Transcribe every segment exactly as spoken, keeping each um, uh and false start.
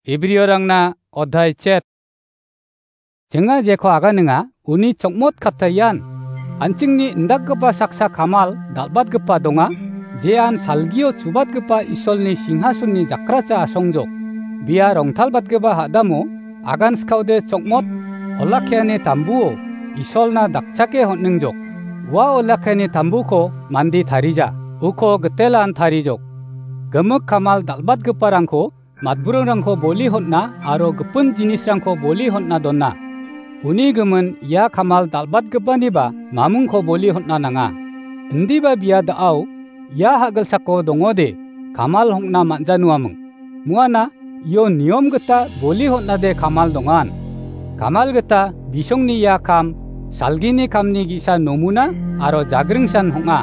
Ibriorangna odhai chet. Chinga jeko aganinga, uni chokmot katta ian. An·chingni indakgipa saksa kamal dal·batgipa donga, jean salgio chubatgipa Isolni singhasonni jakracha asongjok. Bia rongtalbatgipa hadamo agan skaode chokmot olakkiani tambuo Isolna dakchake hon·ningjok. Ua olakkiani tambuko mande tarija, uko gitelan tarijok. Gimik kamal dal·batgiparangko matburingrangko boli hon·a aro gipin jinisrangko boli hon·a dona. Uni gimin ia kamal dal·batgipaniba mamingko boli hon·a nanga. Indiba bia da·ao ia ha·gilsako dongode kamal hon·a man·januaming. Muana io niom gita boli hon·ade kamal dongan. Kamal gita bisongni ia kam, salgini kamni ge·sa nomuna aro jagringsan hong·a.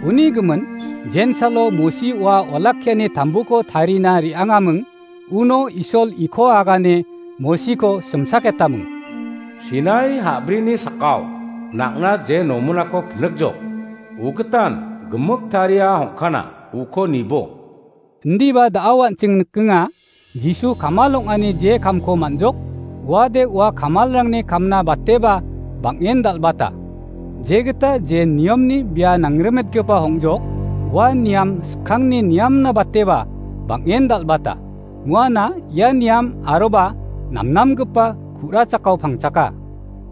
Uni gimin, jensalo Mosi ua olakkiani tambuko tarina re·angaming, uno Isol iko agane Mosiko simsaketaming. Sinai ha·brini sakao nang·na je nomunako pinikjok, ugitan gimik taria hong·kana uko nibo. Indiba da·ao an·ching nikenga, Jisu kamal ong·ani je kamko man·jok, uade ua kamalrangni kamna bateba bang·en dal·bata. Jegita je niamni bia nangrimetgipa hong·jok, ua niam skangni niamna bateba bang·en dal·bata. Muana ia niam aroba namnamgipa ku·rachakao pangchaka.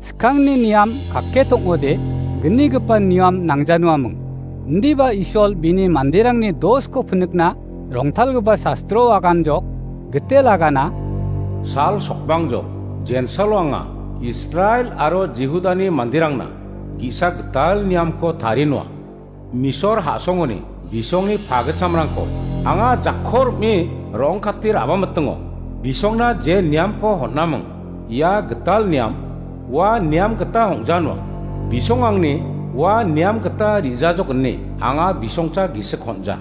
Skangni niam kake tong·ode, gnigipa niam nangjanuaming. Indiba Isol bini manderangni dosko pinikna rongtalgipa sastro aganjok, gitel agana, sal sokbangjok, jensalo anga, Israel aro Jihudani manderangna ge·sa gital niamko tarinoa. Misor ha·songoni bisongni pagitchamrangko anga jakko rim·e rong·kate ra·bamitingo. Bisongna je niamko hon·aming, ia gital niam, ua niam gita hong·janoa. Bisong angni ua niam gita ri·jajok ine anga bisongcha gisik hon·ja.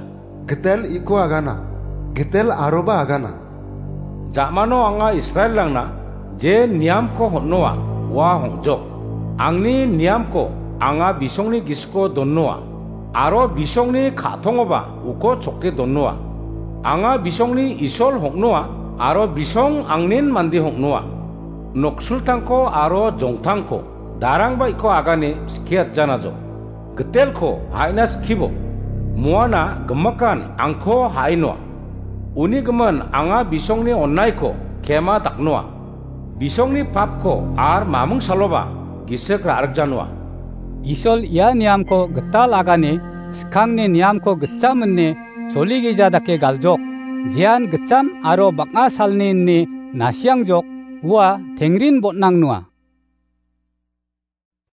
Gitel iko agana, gitel aroba agana. Ja·mano anga Israelrangna je niamko hon·noa, ua hong·jok. Angni niamko anga bisongni gisiko donnoa, aro bisongni ka·tongoba uko choke donnoa. Anga bisongni Isol hong·noa, aro bisong angnin mande hong·noa. Noksultangko aro jongtangko darangba iko agane skie atjanajo. Gitelko ha·ina skibo. Muana gimikan angko ha·inoa. Uni gimin anga bisongni onaiko kema daknoa. Bisongni papko ar maming saloba gisik ra·rikjanoa. Isol ia niamko gital agane skangni niamko gitcham ine soligija dake galjok. Jean gitcham aro bang·a salni ine nasiangjok, ua tengrin bon·angnoa.